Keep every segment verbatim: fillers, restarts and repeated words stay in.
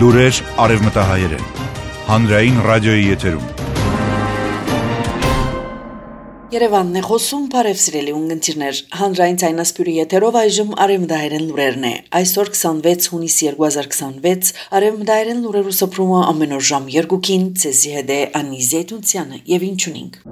Լուրեր արևմտահայերեն, հանրային ռադիոյի եթերում։ Երևանն է խոսում, բարև սիրելի ունգընտիրներ, հանրային ցայնասպյուրի եթերով այժմ արևմտահայերեն լուրերն է։ Այսօր քսանվեց հունիս երկու հազար քսանվեց, արևմտահայերեն լուրերու սփռումը ամեն օր ժամ երկուքին, ցեզի հետ է Անի Զեյթունցյանը եւ ինչունինք։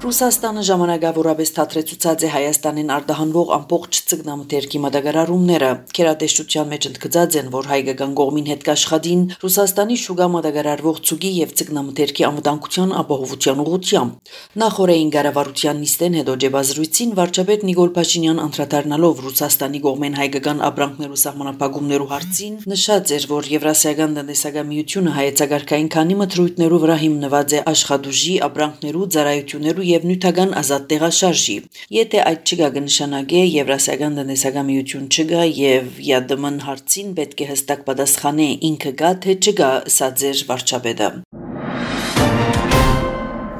Ռուսաստանը ժամանակավորապես թատրեցուցած է Հայաստանին արտահանվող ամբողջ ծգնամթերքի մատակարարումները։ Քերատեսչության մեջ ընդգծած են, որ հայկական կողմին հետ կաշխատին Ռուսաստանի շուգա մատակարարվող ցուգի եւ ծգնամթերքի անվտանգության ապահովության ուղղությամբ։ Նախորդային կառավարության նիստեն հետո ջեբազրույցին վարչապետ Նիկոլ Փաշինյան անդրադառնալով Ռուսաստանի կողմեն հայկական ապրանքներու սահմանափակումներու հարցին նշած էր, որ Եվրասիական տնտեսական միությունը հայեցակարգային քանի մթրույթներու վրա հիմնված է աշխատուժի, ապրանքներու, ծառայություններու եւ նյութական ազատ տեղաշարժի։ Եթե այդ չգա կնշանակե Եվրասիական տնտեսական միություն չգա եւ ԵԱԴՄ-ն հարցին պետք է հստակ պատասխանե ինքը գա թե չգա, սա ձեր վարչապետը։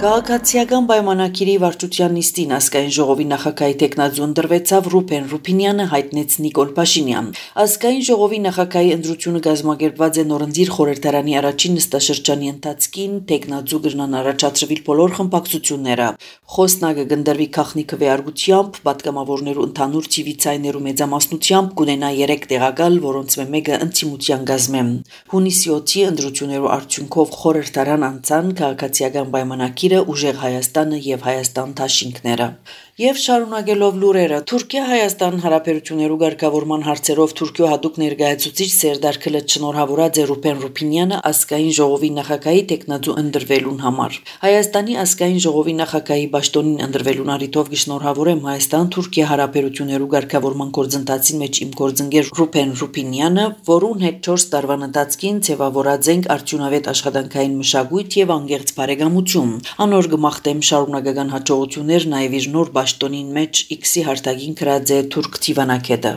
Քաղաքացիական պայմանագիրի վարչության նիստին ազգային ժողովի նախագահի տեխնազոն դրվեցավ Ռուփեն Ռուփինյանը հայտնեց Նիկոլ Փաշինյան։ Ազգային ժողովի նախագահի ընտրությունը կազմակերպված է նորընձիր խորհրդարանի առաջին նստաշրջանի ընթացքին, տեխնազու գրնան առաջադրվել բոլոր խմբակցությունները։ Խոսնակը կնդրվի քաղաքնի քվեարկությամբ, պատգամավորներու ընդհանուր ցիվիցայներու մեծամասնությամբ կունենա երեք տեղակալ, որոնց մեկը ընդդիմության գազմեմ։ Հունիսի ութի ընտրություններու արդյունքով խորհրդարան անցան քաղաքացիական պայմանագիր Ուժեղ Հայաստանը եւ Հայաստան Թաշինքները։ Եվ շարունակելով լուրերը, Թուրքիա-Հայաստան հարաբերություններու ղեկավարման հարցերով Թուրքիո հատուկ ներկայացուցիչ Սերդար Քլեչ շնորհավորած է Ռուփեն Ռուփինյանը ազգային ժողովի նախագահի տեխնազու ընդրվելուն համար։ Հայաստանի ազգային ժողովի նախագահի պաշտոնին ընդրվելուն առիթով կշնորհավորեմ Հայաստան-Թուրքիա հարաբերություններու ղեկավարման գործընթացին մեջ իմ գործընկեր Ռուփեն Ռուփինյանը, որուն հետ չորս տարվան ընթացքին ձևավորած ենք արդյունավետ աշխատանքային մշակույթ եւ անկեղծ բարեկամություն։ Անոր գմախտեմ շարունակական հաջողություններ նաև իր նոր Պաշտոնին մեջ X-ի հարթակին գրած է թուրք դիվանագետը։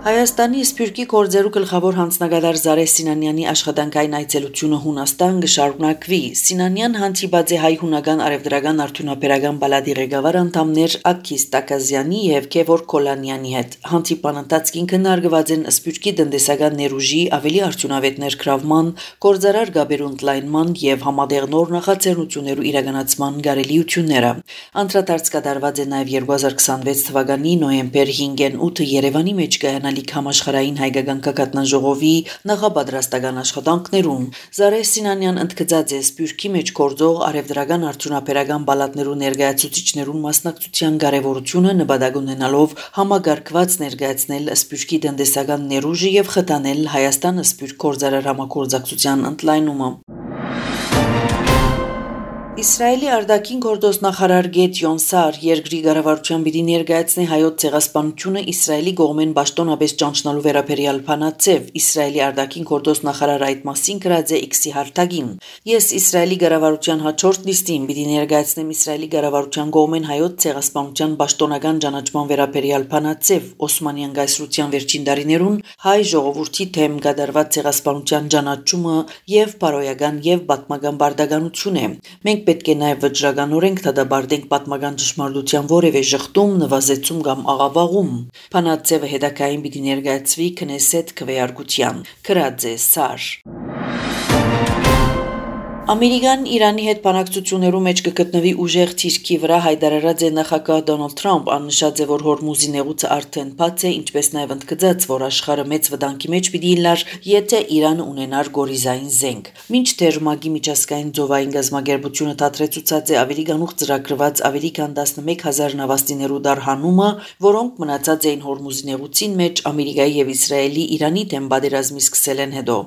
Հայաստանի Սփյուռքի գործերու գլխավոր հանձնագետար Զարե Սինանյանի աշխատանքային այցելությունը Հունաստան կշարունակվի։ Սինանյան հանդիպած է հայ-հունական արևդրական արդյունաբերական բալադի ղեկավար անդամներ Աքիս Տակազյանի եւ Քևոր Կոլանյանի հետ։ Հանդիպան ընթացքին քննարկված են Սփյուռքի տնտեսական ներուժի ավելի արդյունավետ ներգրավման, գործարար գաբերու ընդլայնման եւ համատեղ նոր նախաձեռնություններու իրականացման կարելիությունները։ Անդրադարձ կատարված է նաեւ երկու հազար քսանվեց թվականի նոյեմբեր հինգին ութը Երևանի մեջ կայանալիք համաշխարհային հայկական կակատնաժողովի նախապատրաստական աշխատանքներուն։ Զարե Սինանյան ընդգծած է Սփյուռքի մեջ գործող արևդրական արդյունաբերական բալատներու ներկայացուցիչներուն մասնակցության կարևորությունը նպատակ ունենալով համագարկված ներկայացնել Սփյուռքի տնտեսական ներուժը եւ խթանել Հայաստան-Սփյուռք գործարար համագործակցության ընդլայնումը։ Իսրայելի արտաքին գործոստ նախարար Գեդիոն Սար երկրի կառավարության պիտի ներկայացնի հայոց ցեղասպանությունը Իսրայելի կողմեն պաշտոնապես ճանչնալու վերաբերյալ փանացև։ Իսրայելի արտաքին գործոստ նախարարը այդ մասին գրած է X-ի հարթակին։ Ես Իսրայելի կառավարության հաջորդ նիստին պիտի ներկայացնեմ Իսրայելի կառավարության կողմեն հայոց ցեղասպանության պաշտոնական ճանաչման վերաբերյալ փանացև Օսմանյան կայսրության վերջին տարիներուն հայ ժողովրդի թեմ կատարված ցեղասպանության ճանաչումը եւ բարոյական եւ պատմական բարդականություն է։ Մենք պետք է նաև վճռականորեն դադարենք պատմական ճշմարտության որևէ շղթում, նվազեցում կամ աղավաղում։ Փանացևը հետագային պիտի ներկայացվի քնեսետ քվեարկության։ Գրած է Սար։ Ամերիկան Իրանի հետ բանակցություններու մեջ կգտնվի ուժեղ թիրքի վրա հայտարարած է նախագահ Դոնալդ Թրամփ, աննշած է, որ Հորմուզի նեղուցը արդեն բաց է, ինչպես նաև ընդգծած, որ աշխարհը մեծ վտանգի մեջ պիտի լար, եթե Իրանը ունենար գորիզային զենք։ Մինչդեռ ՄԱԿ-ի միջազգային ծովային գազམ་ագերբությունը դադրեցուցած է ավելի գանուխ ծրագրված ավելի քան տասնմեկ հազար նավաստիներու դարհանումը, որոնք մնացած էին Հորմուզի նեղուցին մեջ Ամերիկայի եւ Իսրայելի Իրանի դեմ պատերազմի սկսելեն հետո։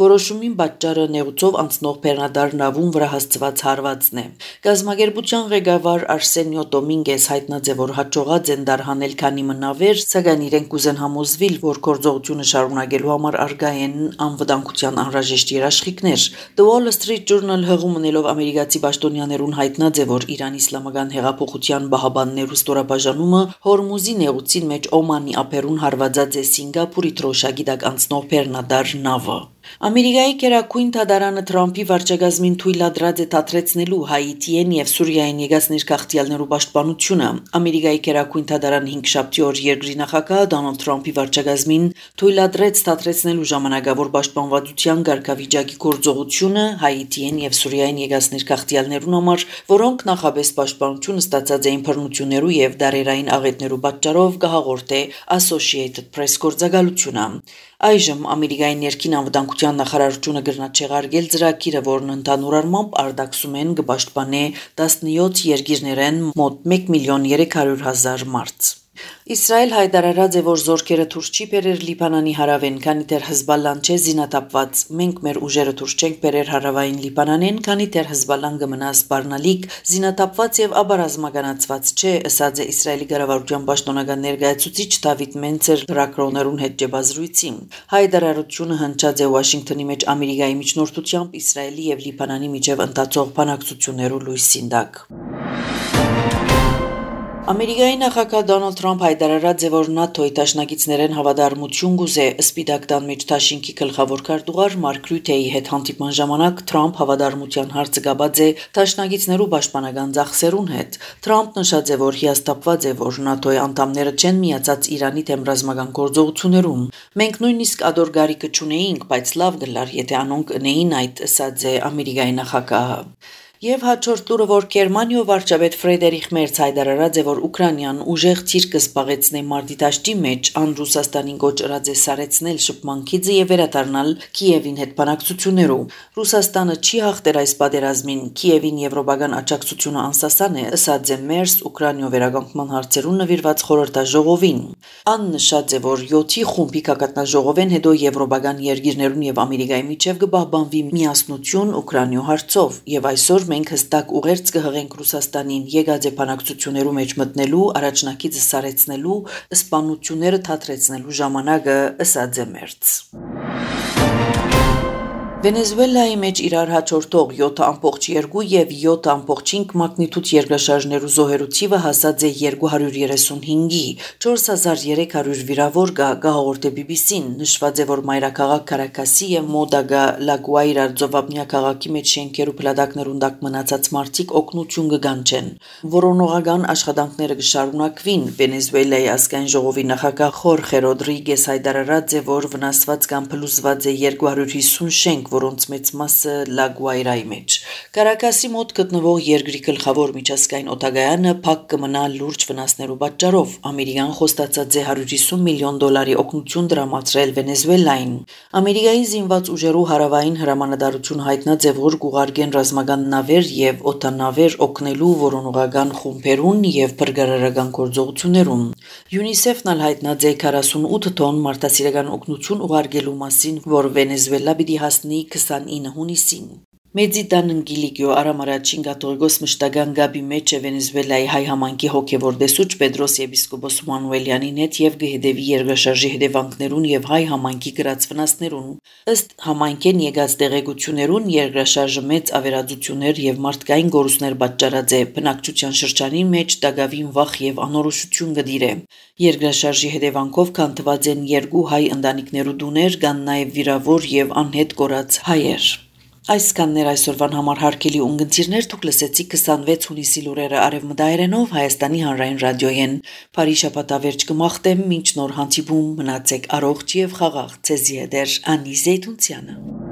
Որոշումին պատճառը նեղուցով անցնող բեռնադար նավում վրա հասցված հարվածն է։ Գազམ་ագերբության ղեկավար Արսենիո Դոմինգես հայտնած է, որ հաջողած են դարհանել քանի մնավեր, սակայն իրենք կուզեն համոզվել, որ գործողությունը շարունակելու համար արգա են անվտանգության անհրաժեշտ երաշխիքներ։ The Wall Street Journal հղում ունելով ամերիկացի պաշտոնյաներուն հայտնած է, որ Իրանի իսլամական հեղափոխության բահաբաններու ստորաբաժանումը Հորմուզի նեղուցին մեջ Օմանի ափերուն հարվածած է Սինգապուրի թրոշակի տակ անցնող բեռնադար նավը։ Ամերիկայի գերագույն դատարանը Թրամփի վարչակազմին թույլատրած է դադրեցնելու Հայիթիեն եւ Սուրիայեն եկած ներքաղցյալներու պաշտպանությունը։ Ամերիկայի գերագույն դատարանը հինգշաբթի օր երկրի նախագահ Դոնալդ Թրամփի վարչակազմին թույլատրեց դադրեցնելու ժամանակավոր պաշտպանվածության ղեկավարի գործողությունը Հայիթիեն եւ Սուրիայեն եկած ներքաղցյալներուն համար, որոնք նախաբես պաշտպանություն ստացած էին բռնություններու եւ դարերային աղետներու պատճառով կհաղորդե Associated Press գործակալությունը։ Այժմ Ամերիկայի ներքին անվտանգության նախարարությունը գրնաց չեղարկել ծրագիրը, որն ընդհանուր առմամբ արտաքսում են կպաշտպանե տասնյոթ երկիրներեն մոտ մեկ միլիոն երեք հարյուր հազար մարդ։ Իսրայել հայտարարած է, որ զորքերը դուրս չի բերեր Լիբանանի հարավեն, քանի դեռ Հեզբալլան չէ զինաթափված։ Մենք մեր ուժերը դուրս չենք բերեր հարավային Լիբանանեն, քանի դեռ Հեզբալլան կմնա սպառնալիք, զինաթափված եւ աբարազմականացված չէ, ըսած է Իսրայելի կառավարության պաշտոնական ներկայացուցիչ Դավիթ Մենցեր լրագրողներուն հետ ջբազրույցին։ Հայտարարությունը հնչած է Վաշինգտոնի մեջ Ամերիկայի միջնորդությամբ Իսրայելի եւ Լիբանանի միջև ընթացող բանակցություններու լույսին տակ։ Ամերիկայի նախագահ Դոնալդ Թրամփ հայտարարած է, որ ՆԱՏՕ-ի դաշնակիցներեն հավատարմություն գուզե Սպիտակ տան մեջ Թաշինքի գլխավոր քարտուղար Մարկ Ռյութեի հետ հանդիպման ժամանակ Թրամփ հավատարմության հարցը գաբած է դաշնակիցներու պաշտպանական ծախսերուն հետ։ Թրամփ նշած է, որ հիասթափված է, որ ՆԱՏՕ-ի անդամները չեն միացած Իրանի դեմ ռազմական գործողություններում։ Մենք նույնիսկ ադոր գարիկը չունեինք, բայց լավ գլար, եթե անոնք ընեին այդ, ըսած է Ամերիկայի նախագահը։ Եվ հաջորդ լուրը, որ Գերմանիո վարչապետ Ֆրեդերիխ Մերց հայտարարած է, որ Ուկրաինան ուժեղ ցիր կսպաղեցնե մարտի դաշտի մեջ, ան Ռուսաստանին կոչրած է սարեցնել շփման քիծը եւ վերադառնալ Կիևին հետ բանակցություններով։ Ռուսաստանը չի հաղթեր այս պատերազմին, Կիևին եվրոպական աջակցությունը անսասան է, ըսած է Մերց Ուկրաինո վերականգնման հարցերուն նվիրված խորհրդաժողովին։ Ան նշած է, որ յոթի խումբի կակատնաժողովեն հետո եվրոպական երկիրներուն եւ Ամերիկայի միջև կպահպանվի միասնություն Ուկրաինո հարցով եւ այսօր մենք հստակ ուղերձ կհղենք Ռուսաստանին եկած է բանակցություններու մեջ մտնելու, առաջնակիցը սարեցնելու, սպանությունները թատրեցնելու ժամանակը, ըսած է Մերց։ Վենեսուելայի մեջ իրար հաջորդող յոթ ամբողջ երկու եւ յոթ ամբողջ հինգ մագնիտուդ երկրաշարժներու զոհերու թիվը հասած է երկու հարյուր երեսունհինգի, չորս հազար երեք հարյուր վիրավոր կա, հաղորդե բի բի սին, նշված է, որ մայրաքաղաք Կարակասի եւ Մոդագա Լագուայրա ծովափնյա քաղաքի մեջ շենքերու փլատակներուն տակ մնացած մարդիկ օգնություն կգանչեն։ Որոնողական աշխատանքները կշարունակվին։ Վենեսուելայի ազգային ժողովի նախագահ Խորխե Ռոդրիգես հայտարարած է, որ վնասված կամ փլուզված է երկու հարյուր հիսուն շենք, որոնց մեծ մասը Լագուայրայի մեջ։ Կարակասի մոտ գտնվող երկրի գլխավոր միջազգային օդագայանը փակ կմնա լուրջ վնասներու պատճառով։ Ամերիկան խոստացած է հարյուր հիսուն միլիոն դոլարի օգնություն տրամադրել Վենեսուելային։ Ամերիկայի զինված ուժերու հարավային հրամանատարություն հայտնած է, որ կուղարկեն ռազմական նավեր եւ օդանավեր օգնելու որոնողական խումբերուն եւ բրգարարական գործողություններում։ ՅՈՒՆԻՍԵՖ-ն ալ հայտնած է քառասունութ տոն մարդասիրական օգնություն ուղարկելու մասին, որ Վենեսուելա պիտի հասնի քսանինը հունիսին։ Մեծիտան ընկիլիկյո արամարաչին կաթողիկոս մշտական գաբի մեջ է Վենեսուելայի հայ համայնքի հոգևոր դեսուչ Պետրոս եպիսկոպոս Մանուելյանին հետ եւ գհետեւի երկրաշարժի հետևանքներուն եւ հայ համայնքի գրած վնասներուն։ Ըստ համայնքեն եկած տեղեկություններուն երկրաշարժը մեծ ավերածություններ եւ մարդկային գորուսներ պատճառած է, բնակչության շրջանի մեջ դագավին վախ եւ անորոշություն գդիր է։ Երկրաշարժի հետևանքով քանթված են երկու հայ ընտանիքներու դուներ, կան նաեւ վիրավոր եւ անհետ կորած հայեր։ Այսքաններ այսօրվան համար հարգելի ունգընտիրներ, դուք լսեցիք քսանվեց հունիսի լուրերը արևմտայերենով Հայաստանի հանրային ռադիոյեն։ Բարի շաբաթավերջ կմաղթեմ, մինչ նոր հանդիպում մնացեք առողջ եւ խաղաղ։ Ցեզի հետ Անի Զեյթունցյանը։